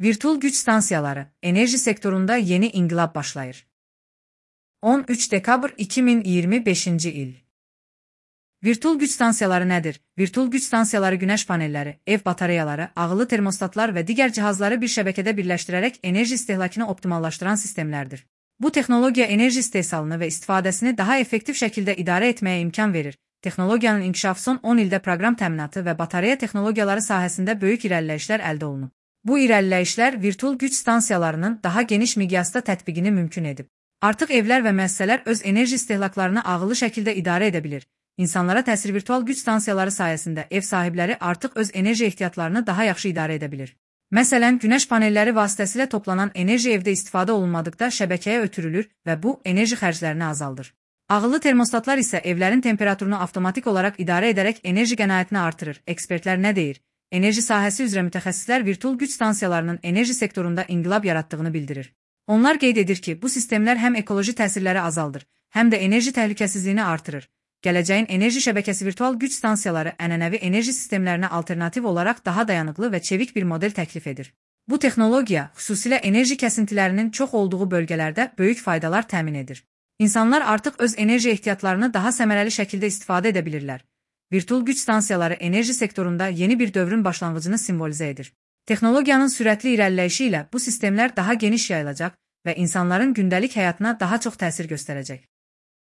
Virtual güç stansiyaları, enerji sektorunda yeni inqilab başlayır. 13 dekabr 2025 il. Virtual güç stansiyaları nədir? Virtual güç stansiyaları günəş panelləri, ev batareyaları, ağıllı termostatlar və digər cihazları bir şəbəkədə birləşdirərək enerji istehlakını optimallaşdıran sistemlərdir. Bu texnologiya enerji istehsalını və istifadəsini daha effektiv şəkildə idarə etməyə imkan verir. Texnologiyanın inkişafı son 10 ildə proqram təminatı və batareya texnologiyaları sahəsində böyük irəliləyişlər əldə olunub. Bu irəliləyişlər virtual güc stansiyalarının daha geniş miqyasda tətbiqini mümkün edib. Artıq evlər və müəssisələr öz enerji istehlaklarını ağıllı şəkildə idarə edə bilir. İnsanlara təsir virtual güc stansiyaları sayəsində ev sahibləri artıq öz enerji ehtiyatlarını daha yaxşı idarə edə bilir. Məsələn, günəş panelləri vasitəsilə toplanan enerji evdə istifadə olunmadıqda şəbəkəyə ötürülür və bu enerji xərclərini azaldır. Ağıllı termostatlar isə evlərin temperaturunu avtomatik olaraq idarə edərək enerji qənaətini artırır. Ekspertlər nə deyir? Enerji sahəsi üzrə mütəxəssislər virtual güc stansiyalarının enerji sektorunda inqilab yaratdığını bildirir. Onlar qeyd edir ki, bu sistemlər həm ekoloji təsirləri azaldır, həm də enerji təhlükəsizliyini artırır. Gələcəyin enerji şəbəkəsi virtual güc stansiyaları ənənəvi enerji sistemlərinə alternativ olaraq daha dayanıqlı və çevik bir model təklif edir. Bu texnologiya xüsusilə enerji kəsintilərinin çox olduğu bölgələrdə böyük faydalar təmin edir. İnsanlar artıq öz enerji ehtiyatlarını daha səmərəli şəkildə istifadə edə bilirlər. Virtual güc stansiyaları enerji sektorunda yeni bir dövrün başlanğıcını simvolizə edir. Texnologiyanın sürətli irəliləyişi ilə bu sistemlər daha geniş yayılacaq və insanların gündəlik həyatına daha çox təsir göstərəcək.